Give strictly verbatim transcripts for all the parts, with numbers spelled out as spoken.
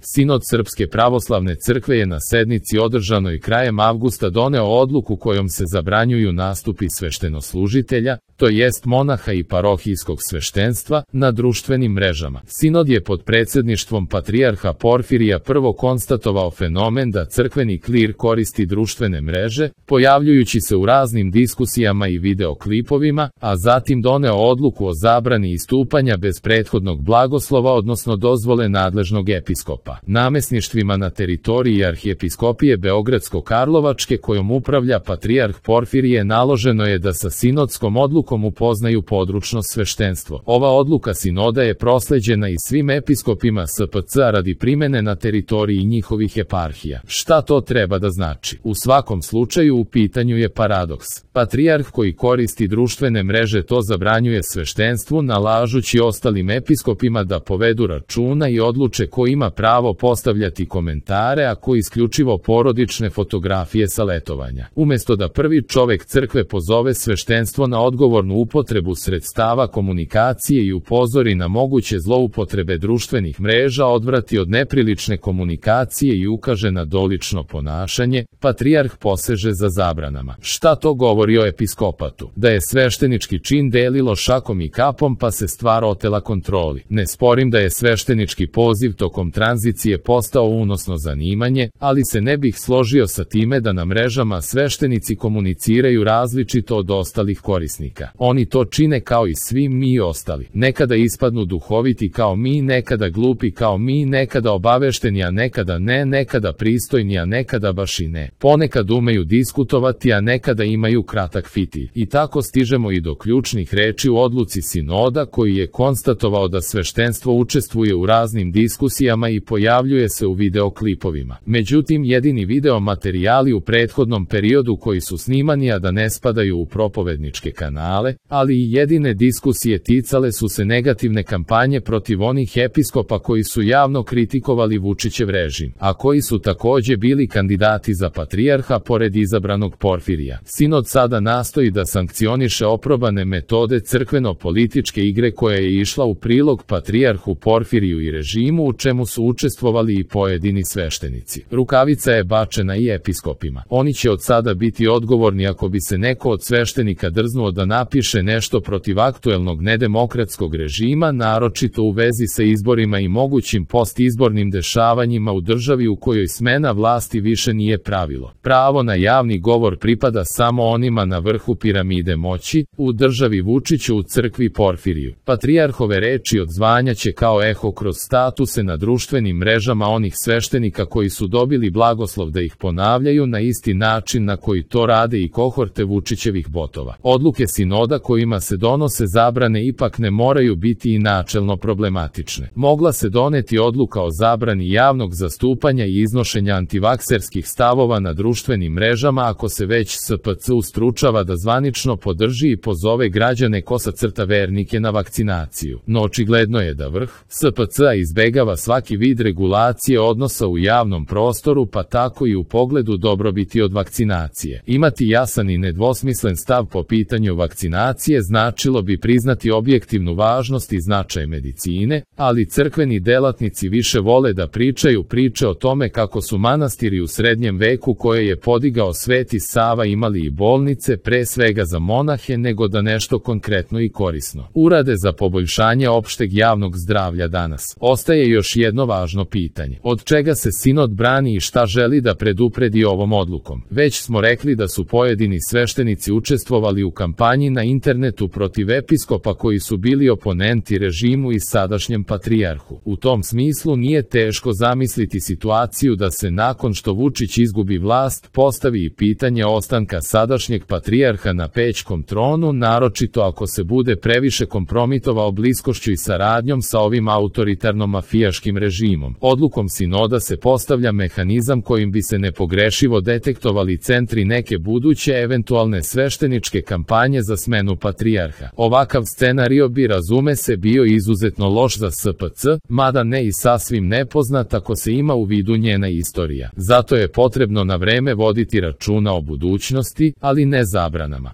Sinod Srpske pravoslavne crkve je na sednici održanoj krajem avgusta doneo odluku kojom se zabranjuju nastupi sveštenoslužitelja, to jest monaha i parohijskog sveštenstva, na društvenim mrežama. Sinod je pod predsjedništvom patrijarha Porfirija prvo konstatovao fenomen da crkveni klir koristi društvene mreže, pojavljujući se u raznim diskusijama i videoklipovima, a zatim doneo odluku o zabrani istupanja bez prethodnog blagoslova odnosno dozvole nadležnog episkopa. Namesništvima na teritoriji arhijepiskopije Beogradsko-Karlovačke kojom upravlja patrijarh Porfirije naloženo je da sa sinodskom odlukom upoznaju područno sveštenstvo. Ova odluka sinoda je prosleđena i svim episkopima S P C radi primene na teritoriji njihovih eparhija. Šta to treba da znači? U svakom slučaju u pitanju je paradoks. Patrijarh koji koristi društvene mreže to zabranjuje sveštenstvu nalažući ostalim episkopima da povedu računa i odluče ko ima pravo postavljati komentare, a ko isključivo porodične fotografije sa letovanja. Umesto da prvi čovek crkve pozove sveštenstvo na odgovornu upotrebu sredstava komunikacije i upozori na moguće zloupotrebe društvenih mreža, odvrati od neprilične komunikacije i ukaže na dolično ponašanje, patrijarh poseže za zabranama. Šta to govori o episkopatu? Da je sveštenički čin delilo šakom i kapom pa se stvar otela kontroli. Ne sporim da je sveštenički poziv tokom tranzicije postao unosno zanimanje, ali se ne bih složio sa time da na mrežama sveštenici komuniciraju različito od ostalih korisnika. Oni to čine kao i svi mi ostali. Nekada ispadnu duhoviti kao mi, nekada glupi kao mi, nekada obavešteni, a nekada ne, nekada pristojni, a nekada baš i ne. Ponekad umeju diskutovati, a nekada imaju kratak fitilj. I tako stižemo i do ključnih reči u odluci sinoda koji je konstatovao da sveštenstvo učestvuje u raznim diskusijama i pojavljuje se u videoklipovima. Međutim, jedini video materijali u prethodnom periodu koji su snimani a da ne spadaju u propovedničke kanale, ali i jedine diskusije ticale su se negativne kampanje protiv onih episkopa koji su javno kritikovali Vučićev režim, a koji su takođe bili kandidati za patrijarha pored izabranog Porfirija. Sinod sada nastoji da sankcioniše oprobane metode crkveno-političke igre koja je išla u prilog patrijarhu Porfiriju i režimu u čemu su učestvovali i pojedini sveštenici. Rukavica je bačena i episkopima. Oni će od sada biti odgovorni ako bi se neko od sveštenika drznuo da napiše nešto protiv aktuelnog nedemokratskog režima, naročito u vezi sa izborima i mogućim postizbornim dešavanjima u državi u kojoj smena vlasti više nije pravilo. Pravo na javni govor pripada samo onima na vrhu piramide moći, u državi Vučiću, u crkvi Porfiriju. Patrijarhove reči odzvanjaće kao eho kroz statuse na društvenim mrežama onih sveštenika koji su dobili blagoslov da ih ponavljaju na isti način na koji to rade i kohorte Vučićevih botova. Odluke sinoda kojima se donose zabrane ipak ne moraju biti i načelno problematične. Mogla se doneti odluka o zabrani javnog zastupanja i iznošenja antivakserskih stavova na društvenim mrežama ako se već S P C ustručava da zvanično podrži i pozove građane kosa crta vernike na vakcinaciju. No očigledno je da vrh S P C-a izbegava svaki vid regulacije odnosa u javnom prostoru, pa tako i u pogledu dobrobiti od vakcinacije. Imati jasan i nedvosmislen stav po pitanju vakcinacije značilo bi priznati objektivnu važnost i značaj medicine, ali crkveni delatnici više vole da pričaju priče o tome kako su manastiri u srednjem veku koje je podigao Sveti Sava imali i bolnice pre svega za monahe nego da nešto konkretno i korisno urade za poboljšanje opšteg javnog zdravlja danas. Ostaje još jedno važno pitanje. Od čega se sinod brani i šta želi da predupredi ovom odlukom? Već smo rekli da su pojedini sveštenici učestvovali u kampanji na internetu protiv episkopa koji su bili oponenti režimu i sadašnjem patrijarhu. U tom smislu nije teško zamisliti situaciju da se nakon što Vučić izgubi vlast postavi i pitanje ostanka sadašnjeg patrijarha na pećkom tronu, naročito ako se bude previše kompromitovao bliskošću i saradnjom sa ovim autoritarno-mafijaškim režimom. Odlukom sinoda se postavlja mehanizam kojim bi se nepogrešivo detektovali centri neke buduće eventualne svešteničke kampanje za smenu patrijarha. Ovakav scenario bi, razume se, bio izuzetno loš za S P C, mada ne i sasvim nepoznat ako se ima u vidu njena istorija. Zato je potrebno na vreme voditi računa o budućnosti, ali ne zabranama.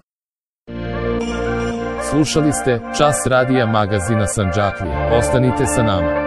Slušali ste Čas radija magazina Sandžaklija. Ostanite sa nama.